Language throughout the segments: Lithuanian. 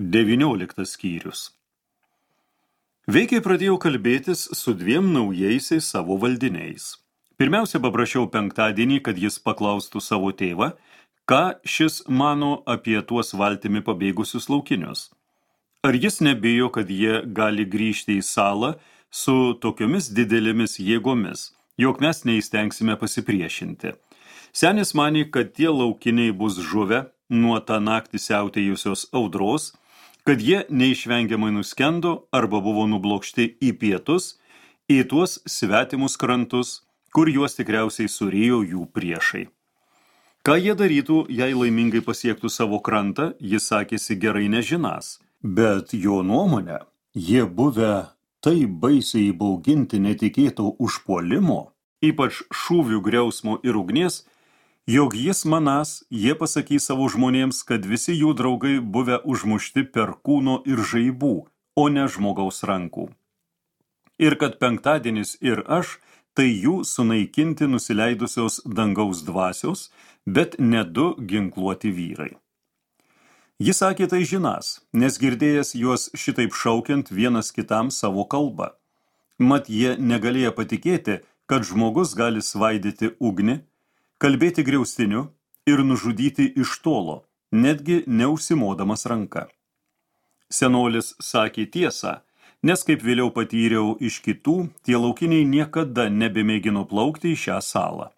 19 skyrius. Veikiai pradėjau kalbėtis su 2 naujaisiais savo valdiniais. Pirmiausia, paprašiau penktadienį, kad jis paklaustų savo tėvą, ką šis mano apie tuos valtimi pabėgusius laukinius. Ar jis nebijo, kad jie gali grįžti į salą su tokiomis didelėmis jėgomis, jog mes neįstengsime pasipriešinti. Senis manė, kad tie laukiniai bus žuvę nuo tą naktį siautėjusios audros, kad jie neišvengiamai nuskendo arba buvo nublokšti į pietus, į tuos svetimus krantus, kur juos tikriausiai surėjo jų priešai. Ką jie darytų, jei laimingai pasiektų savo krantą, jis sakėsi gerai nežinas, bet jo nuomonė, jie buvę taip baisiai įbauginti netikėto užpuolimo, ypač šūvių griausmo ir ugnies, jog jis manas, jie pasakys savo žmonėms, kad visi jų draugai buvę užmušti per kūno ir žaibų, o ne žmogaus rankų. Ir kad penktadienis ir aš, tai jų sunaikinti nusileidusios dangaus dvasios, bet ne 2 ginkluoti vyrai. Jis sakė tai žinas, nes girdėjęs juos šitaip šaukiant vienas kitam savo kalbą. Mat jie negalėjo patikėti, kad žmogus gali svaidyti ugnį, kalbėti griaustiniu ir nužudyti iš tolo, netgi neužsimodamas ranka. Senolis sakė tiesą, nes kaip vėliau patyriau iš kitų, tie laukiniai niekada nebemėgino plaukti į šią salą.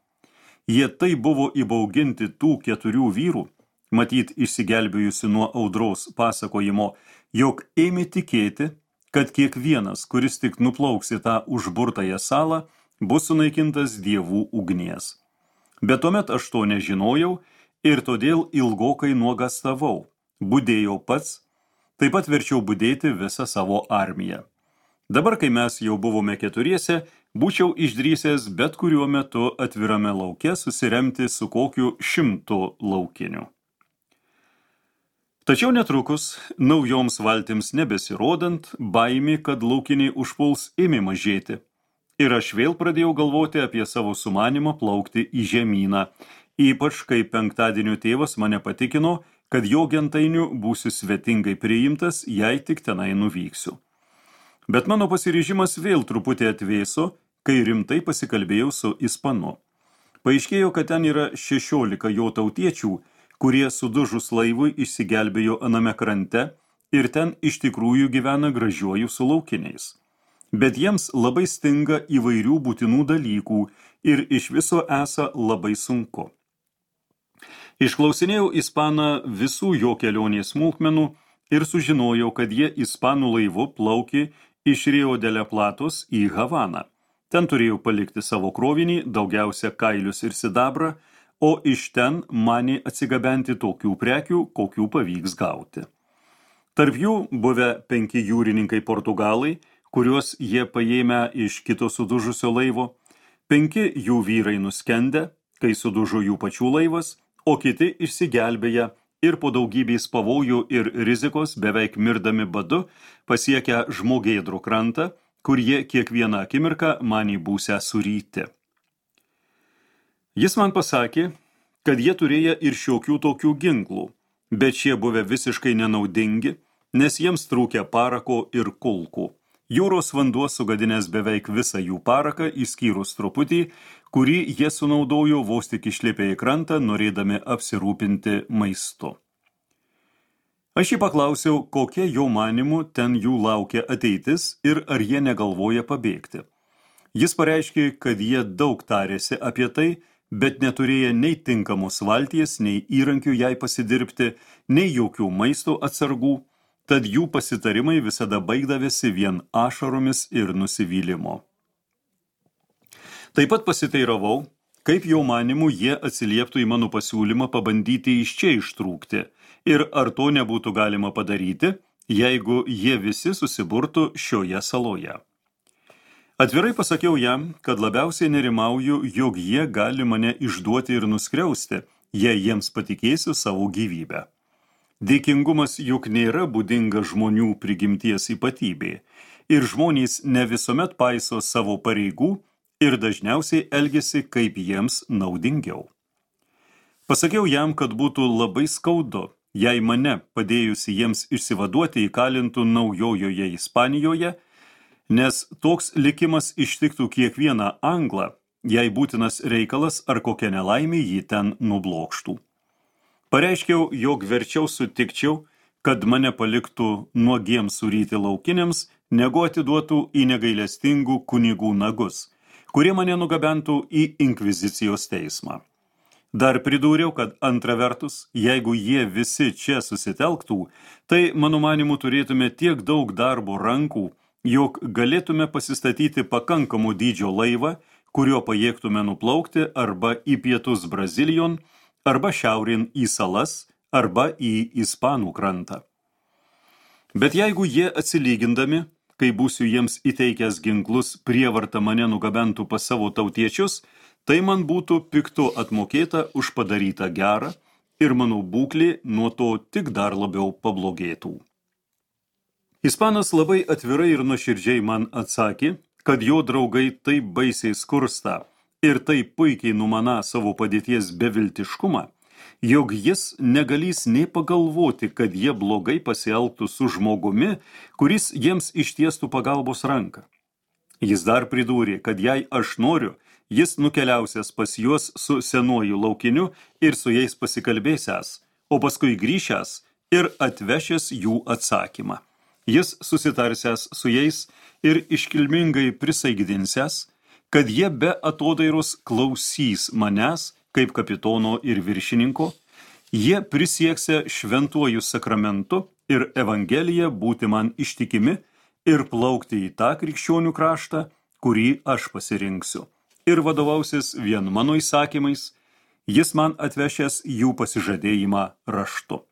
Jie tai buvo įbauginti tų 4 vyrų, matyt išsigelbėjusi nuo audros pasakojimo, jog ėmė tikėti, kad kiekvienas, kuris tik nuplauks į tą užburtąją salą, bus sunaikintas dievų ugnies. Bet tuomet aš to nežinojau ir todėl ilgokai nuogastavau, budėjau pats, taip pat verčiau budėti visą savo armiją. Dabar, kai mes jau buvome 4, būčiau išdrįsęs bet kuriuo metu atvirame lauke susiremti su kokiu 100 laukiniu. Tačiau netrukus, naujoms valtims nebesirodant, baimė, kad laukiniai užpuls, ėmė mažėti. Ir aš vėl pradėjau galvoti apie savo sumanimą plaukti į žemyną, ypač kai penktadienio tėvas mane patikino, kad jo gentainiu būsiu svetingai priimtas, jei tik tenai nuvyksiu. Bet mano pasiryžimas vėl truputį atvėso, kai rimtai pasikalbėjau su Ispanu. Paaiškėjo, kad ten yra 16 jo tautiečių, kurie sudužus laivui išsigelbėjo aname krante ir ten iš tikrųjų gyvena gražiuoju su laukiniais. Bet jiems labai stinga įvairių būtinų dalykų ir iš viso esą labai sunku. Išklausinėjau Ispaną visų jo kelionės smulkmenų ir sužinojau, kad jie ispanų laivu plaukė iš Rio de la Platos į Havaną. Ten turėjo palikti savo krovinį, daugiausia kailius ir sidabrą, o iš ten manė atsigabenti tokių prekių, kokių pavyks gauti. Tarp jų buvę 5 jūrininkai portugalai, kuriuos jie paėmę iš kito sudužusio laivo, 5 jų vyrai nuskendę, kai sudužo jų pačių laivas, o kiti išsigelbėję ir po daugybės pavojų ir rizikos beveik mirdami badu pasiekę žmogėdrų krantą, kur jie kiekvieną akimirką manė būsią suryti. Jis man pasakė, kad jie turėjo ir šiokių tokių ginklų, bet šie buvę visiškai nenaudingi, nes jiems trūkė parako ir kulkų. Jūros vanduo sugadinęs beveik visą jų paraką, išskyrus truputį, kurį jie sunaudojo vos tik išlipę į krantą, norėdami apsirūpinti maistu. Aš jį paklausiau, kokia jo manimu ten jų laukia ateitis ir ar jie negalvoja pabėgti. Jis pareiškė, kad jie daug tarėsi apie tai, bet neturėjo nei tinkamos valties, nei įrankių jai pasidirbti, nei jokių maisto atsargų, tad jų pasitarimai visada baigdavėsi vien ašaromis ir nusivylimu. Taip pat pasiteiravau, kaip jo manimu jie atsilieptų į mano pasiūlymą pabandyti iš čia ištrūkti ir ar to nebūtų galima padaryti, jeigu jie visi susiburtų šioje saloje. Atvirai pasakiau jam, kad labiausiai nerimauju, jog jie gali mane išduoti ir nuskriausti, jei jiems patikėsiu savo gyvybę. Dėkingumas juk nėra būdinga žmonių prigimties ypatybė ir žmonės ne visuomet paiso savo pareigų ir dažniausiai elgiasi kaip jiems naudingiau. Pasakiau jam, kad būtų labai skaudu, jei mane padėjusi jiems išsivaduoti įkalintų Naujojoje Ispanijoje, nes toks likimas ištiktų kiekvieną anglą, jei būtinas reikalas ar kokia nelaimė jį ten nublokštų. Pareiškiau, jog verčiau sutikčiau, kad mane paliktų nuogiems suryti laukiniams, negu atiduotų į negailestingų kunigų nagus, kurie mane nugabentų į inkvizicijos teismą. Dar pridūriau, kad antra vertus, jeigu jie visi čia susitelktų, tai, mano manimu, turėtume tiek daug darbo rankų, jog galėtume pasistatyti pakankamų dydžio laivą, kurio pajėgtume nuplaukti arba į pietus Brazilijon, arba šiaurėn į salas, arba į Ispanų krantą. Bet jeigu jie atsilygindami, kai būsiu jiems įteikęs ginklus, prievarta mane nugabentų pas savo tautiečius, tai man būtų piktu atmokėta už padarytą gerą ir mano būklė nuo to tik dar labiau pablogėtų. Ispanas labai atvirai ir nuoširdžiai man atsakė, kad jo draugai taip baisiai skursta ir taip puikiai numaną savo padėties beviltiškumą, jog jis negalys nei pagalvoti, kad jie blogai pasielgtų su žmogumi, kuris jiems ištiestų pagalbos ranką. Jis dar pridūrė, kad jei aš noriu, jis nukeliausias pas juos su senuoju laukiniu ir su jais pasikalbėsias, o paskui grįžęs ir atvešęs jų atsakymą. Jis susitarsęs su jais ir iškilmingai prisaigdinsęs, kad jie be atodairos klausys manęs kaip kapitono ir viršininko, jie prisieksę šventuoju sakramentu ir evangelija būti man ištikimi ir plaukti į tą krikščionių kraštą, kurį aš pasirinksiu. Ir vadovausis vien mano įsakymais, jis man atvešęs jų pasižadėjimą raštu.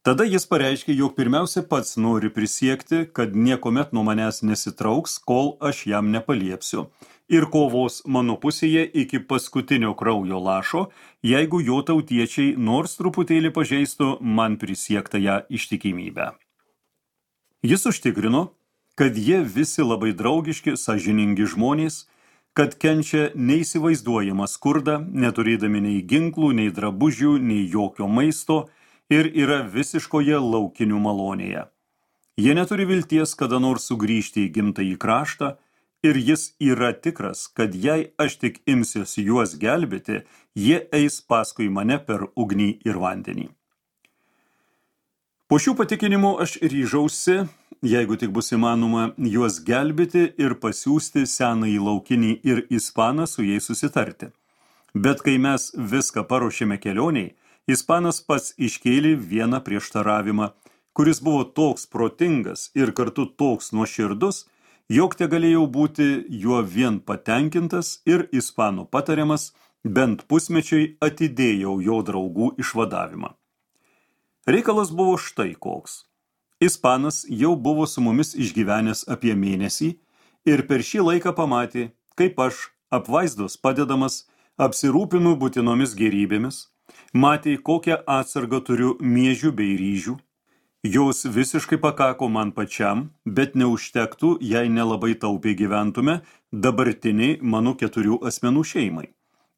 Tada jis pareiškė, jog pirmiausia pats nori prisiekti, kad niekomet nuo manęs nesitrauks, kol aš jam nepaliepsiu, ir kovos mano pusėje iki paskutinio kraujo lašo, jeigu jo tautiečiai nors truputėlį pažeistų man prisiektąją ištikimybę. Jis užtikrino, kad jie visi labai draugiški, sąžiningi žmonės, kad kenčia neįsivaizduojamą skurdą, neturėdami nei ginklų, nei drabužių, nei jokio maisto ir yra visiškoje laukinių malonėje. Jie neturi vilties kada nors sugrįžti į gimtąjį kraštą ir jis yra tikras, kad jei aš tik imsiuosi juos gelbėti, jie eis paskui mane per ugnį ir vandenį. Po šių patikinimų aš ryžausi, jeigu tik bus įmanoma, juos gelbėti ir pasiųsti senąjį laukinį ir Ispaną su jais susitarti. Bet kai mes viską paruošėme kelioniai, Ispanas pats iškėlė vieną prieštaravimą, kuris buvo toks protingas ir kartu toks nuoširdus, jog tegalėjau būti juo vien patenkintas ir Ispanų patariamas, bent pusmečiui atidėjau jo draugų išvadavimą. Reikalas buvo štai koks. Ispanas jau buvo su mumis išgyvenęs apie mėnesį ir per šį laiką pamatė, kaip aš, apvaizdos padedamas, apsirūpinu būtinomis gėrybėmis, matė, kokią atsargą turiu miežių bei ryžių. Jos visiškai pakako man pačiam, bet neužtektų, jei nelabai taupiai gyventume dabartiniai mano 4 asmenų šeimai.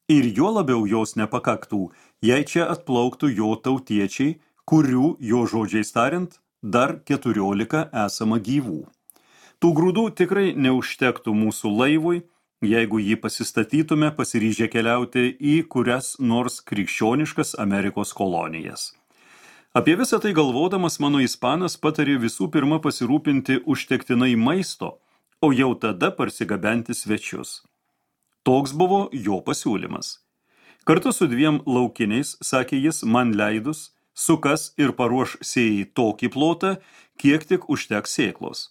Ir jo labiau jos nepakaktų, jei čia atplauktų jo tautiečiai, kurių, jo žodžiais tariant, dar 14 esama gyvų. Tų grūdų tikrai neužtektų mūsų laivui, jeigu jį pasistatytume pasiryžę keliauti į kurias nors krikščioniškas Amerikos kolonijas. Apie visą tai galvodamas mano Ispanas patarė visų pirma pasirūpinti užtektinai maisto, o jau tada parsigabenti svečius. Toks buvo jo pasiūlymas. Kartu su 2 laukiniais, sakė jis, man leidus, sukas ir paruoš sėjai tokį plotą, kiek tik užteks sėklos.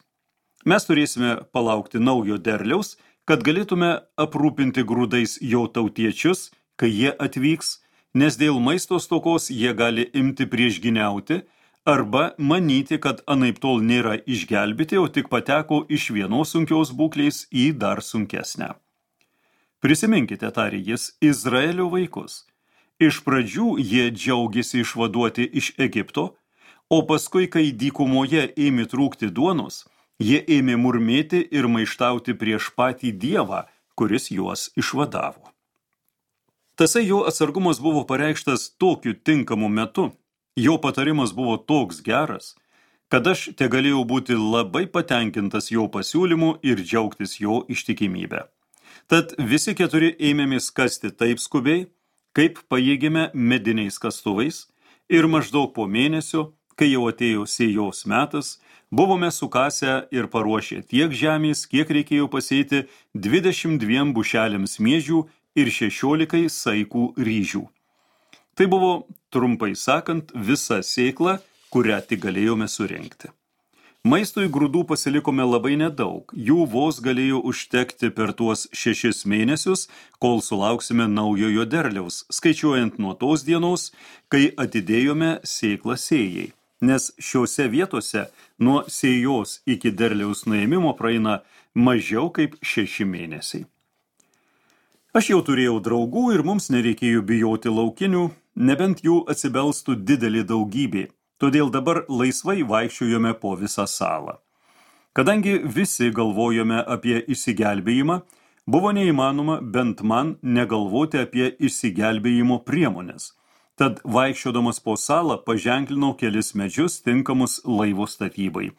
Mes turėsime palaukti naujo derliaus, kad galėtume aprūpinti grūdais jo tautiečius, kai jie atvyks, nes dėl maisto stokos jie gali imti priešgyniauti arba manyti, kad anaiptol nėra išgelbėti, o tik pateko iš vienos sunkios būklės į dar sunkesnę. Prisiminkite, tarė jis, Izraelio vaikus. Iš pradžių jie džiaugėsi išvaduoti iš Egipto, o paskui, kai dykumoje ėmė trūkti duonos, jie ėmė murmėti ir maištauti prieš patį Dievą, kuris juos išvadavo. Tasai jo atsargumas buvo pareikštas tokiu tinkamu metu, Jo patarimas buvo toks geras, kad aš tegalėjau būti labai patenkintas jo pasiūlymu ir džiaugtis jo ištikimybę. Tad visi keturi ėmėmės kasti taip skubiai, kaip pajėgėme mediniais kastuvais, ir maždaug po mėnesio, kai jau atėjo sėjos metas, buvome sukasę ir paruošę tiek žemės, kiek reikėjo pasėti 22 bušelėms miežių ir 16 saikų ryžių. Tai buvo, trumpai sakant, visa sėkla, kurią tik galėjome surinkti. Maistui grūdų pasilikome labai nedaug, jų vos galėjo užtekti per tuos 6 mėnesius, kol sulauksime naujojo derliaus, skaičiuojant nuo tos dienos, kai atidėjome sėklą sėjai, nes šiose vietose nuo sėjos iki derliaus nuėmimo praeina mažiau kaip 6 mėnesiai. Aš jau turėjau draugų ir mums nereikėjo bijoti laukinių, nebent jų atsibelstų didelė daugybė. Todėl dabar laisvai vaikščiojome po visą salą. Kadangi visi galvojome apie išsigelbėjimą, buvo neįmanoma bent man negalvoti apie išsigelbėjimo priemonės. Tad vaikščiodamas po salą paženklinau kelis medžius tinkamus laivo statybai.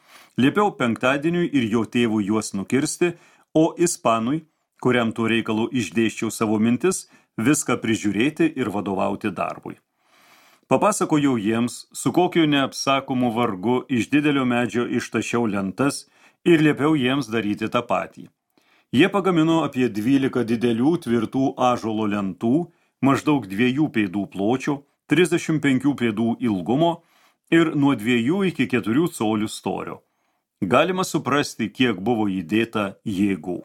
Liepiau penktadieniui ir jo tėvui juos nukirsti, o ispanui, kuriam tuo reikalu išdėsčiau savo mintis, viską prižiūrėti ir vadovauti darbui. Papasakojau jiems, su kokiu neapsakomu vargu iš didelio medžio ištašiau lentas ir liepiau jiems daryti tą patį. Jie pagamino apie 12 didelių tvirtų ąžuolo lentų, maždaug 2 pėdų pločio, 35 pėdų ilgumo ir nuo 2 iki 4 colių storio. Galima suprasti, kiek buvo įdėta jėgų.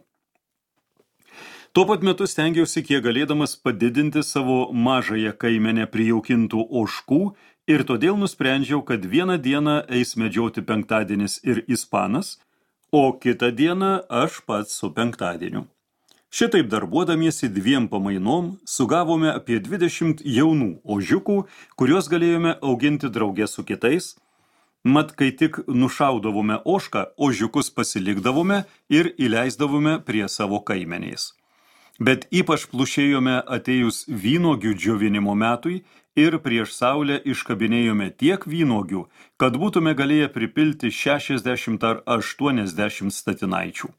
Tuo pat metu stengiausi kiek galėdamas padidinti savo mažąją kaimenę prijaukintų ožkų ir todėl nusprendžiau, kad vieną dieną eis medžioti penktadienis ir ispanas, o kitą dieną aš pats su penktadieniu. Šitaip darbuodamiesi 2 pamainom sugavome apie 20 jaunų ožiukų, kuriuos galėjome auginti drauge su kitais. Mat, kai tik nušaudavome ožką, ožiukus pasilikdavome ir įleisdavome prie savo kaimenės. Bet ypač plušėjome atėjus vynuogių džiovinimo metui ir prieš saulę iškabinėjome tiek vynuogių, kad būtume galėję pripilti 60 ar 80 statinaičių.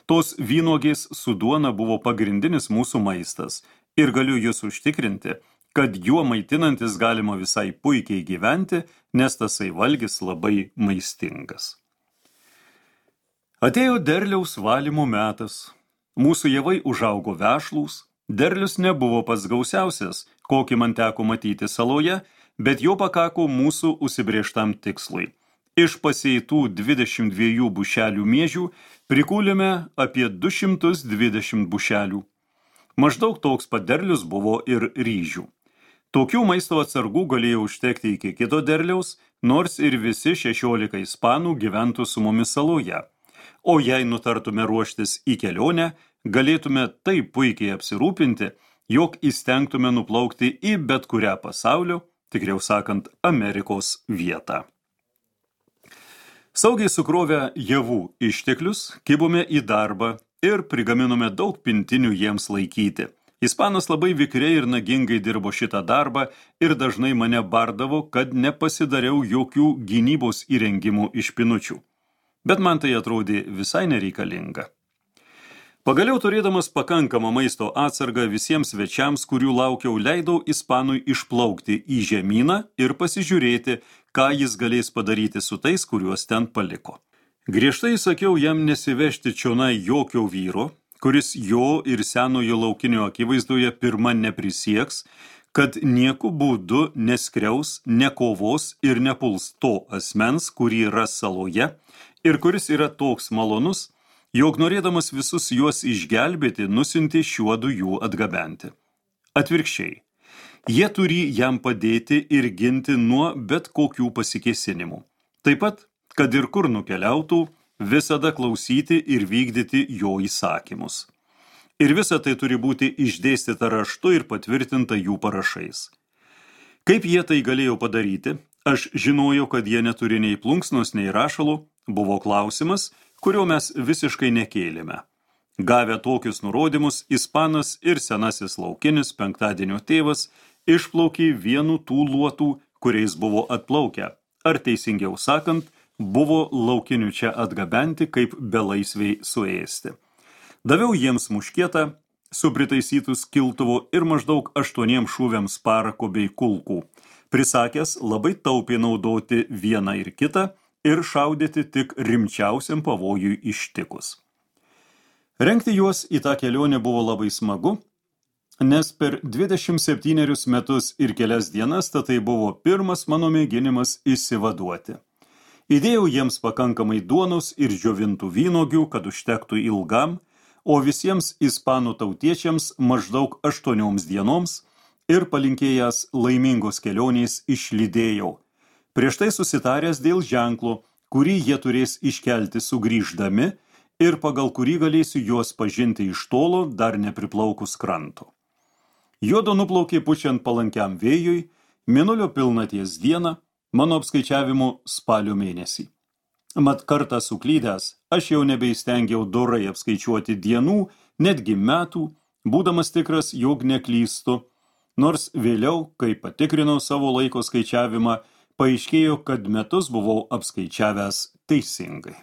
Tos vynuogės su duona buvo pagrindinis mūsų maistas ir galiu jūs užtikrinti, kad juo maitinantis galima visai puikiai gyventi, nes tasai valgis labai maistingas. Atėjo derliaus valymo metas. Mūsų javai užaugo vešlūs, derlius nebuvo pats gausiausias, kokį man teko matyti saloje, bet jo pakako mūsų užsibrėžtam tikslui. Iš pasėtų 22 bušelių miežių prikūlėme apie 220 bušelių. Maždaug toks pat derlius buvo ir ryžių. Tokių maisto atsargų galėjo užtekti iki kito derliaus, nors ir visi 16 ispanų gyventų su mumis saloje. O jei nutartume ruoštis į kelionę, galėtume taip puikiai apsirūpinti, jog įstengtume nuplaukti į bet kurią pasaulio, tikriau sakant, Amerikos vietą. Saugiai sukrovę javų išteklius, kibome į darbą ir prigaminome daug pintinių jiems laikyti. Ispanas labai vikriai ir nagingai dirbo šitą darbą ir dažnai mane bardavo, kad nepasidariau jokių gynybos įrengimų iš pinučių. Bet man tai atrodė visai nereikalinga. Pagaliau turėdamas pakankamą maisto atsargą visiems svečiams, kurių laukiau, leidau ispanui išplaukti į žemyną ir pasižiūrėti, ką jis galės padaryti su tais, kuriuos ten paliko. Griežtai sakiau jam nesivežti čionai jokio vyro, kuris jo ir senojo laukinio akivaizdoje pirma neprisieks, kad nieku būdu neskriaus, nekovos ir nepuls to asmens, kurį ras saloje, ir kuris yra toks malonus, jog norėdamas visus juos išgelbėti, nusiuntė šiuodu jų atgabenti. Atvirkščiai, jie turi jam padėti ir ginti nuo bet kokių pasikėsinimų. Taip pat, kad ir kur nukeliautų, visada klausyti ir vykdyti jo įsakymus. Ir visa tai turi būti išdėstyta raštu ir patvirtinta jų parašais. Kaip jie tai galėjo padaryti, aš žinojau, kad jie neturi nei plunksnos, nei rašalų, buvo klausimas, kurio mes visiškai nekėlėme. Gavę tokius nurodymus, ispanas ir senasis laukinis penktadienio tėvas išplaukė vienu tų luotų, kuriais buvo atplaukę, ar teisingiau sakant, buvo laukinių čia atgabenti kaip belaisviai suėsti. Daviau jiems muškietą, su pritaisytų skiltuvu ir maždaug 8 šūviams parako bei kulkų, prisakęs labai taupiai naudoti vieną ir kitą ir šaudyti tik rimčiausiam pavojui ištikus. Rengti juos į tą kelionę buvo labai smagu, nes per 27 metus ir kelias dienas tai buvo pirmas mano mėginimas išsivaduoti. Įdėjau jiems pakankamai duonos ir džiovintų vynogių, kad užtektų ilgam, o visiems ispanų tautiečiams maždaug 8 dienoms ir palinkėjęs laimingos kelionės išlydėjau, prieš tai susitaręs dėl ženklo, kurį jie turės iškelti sugrįždami ir pagal kurį galėsiu juos pažinti iš tolo dar nepriplaukus kranto. Juodo nuplaukė pučiant palankiam vėjui, mėnulio pilnaties dieną, mano apskaičiavimu spalio mėnesį. Mat kartą suklydęs, aš jau nebeįstengiau dorai apskaičiuoti dienų, netgi metų, būdamas tikras, jog neklystu, nors vėliau, kai patikrinau savo laiko skaičiavimą, paaiškėjo, kad metus buvau apskaičiavęs teisingai.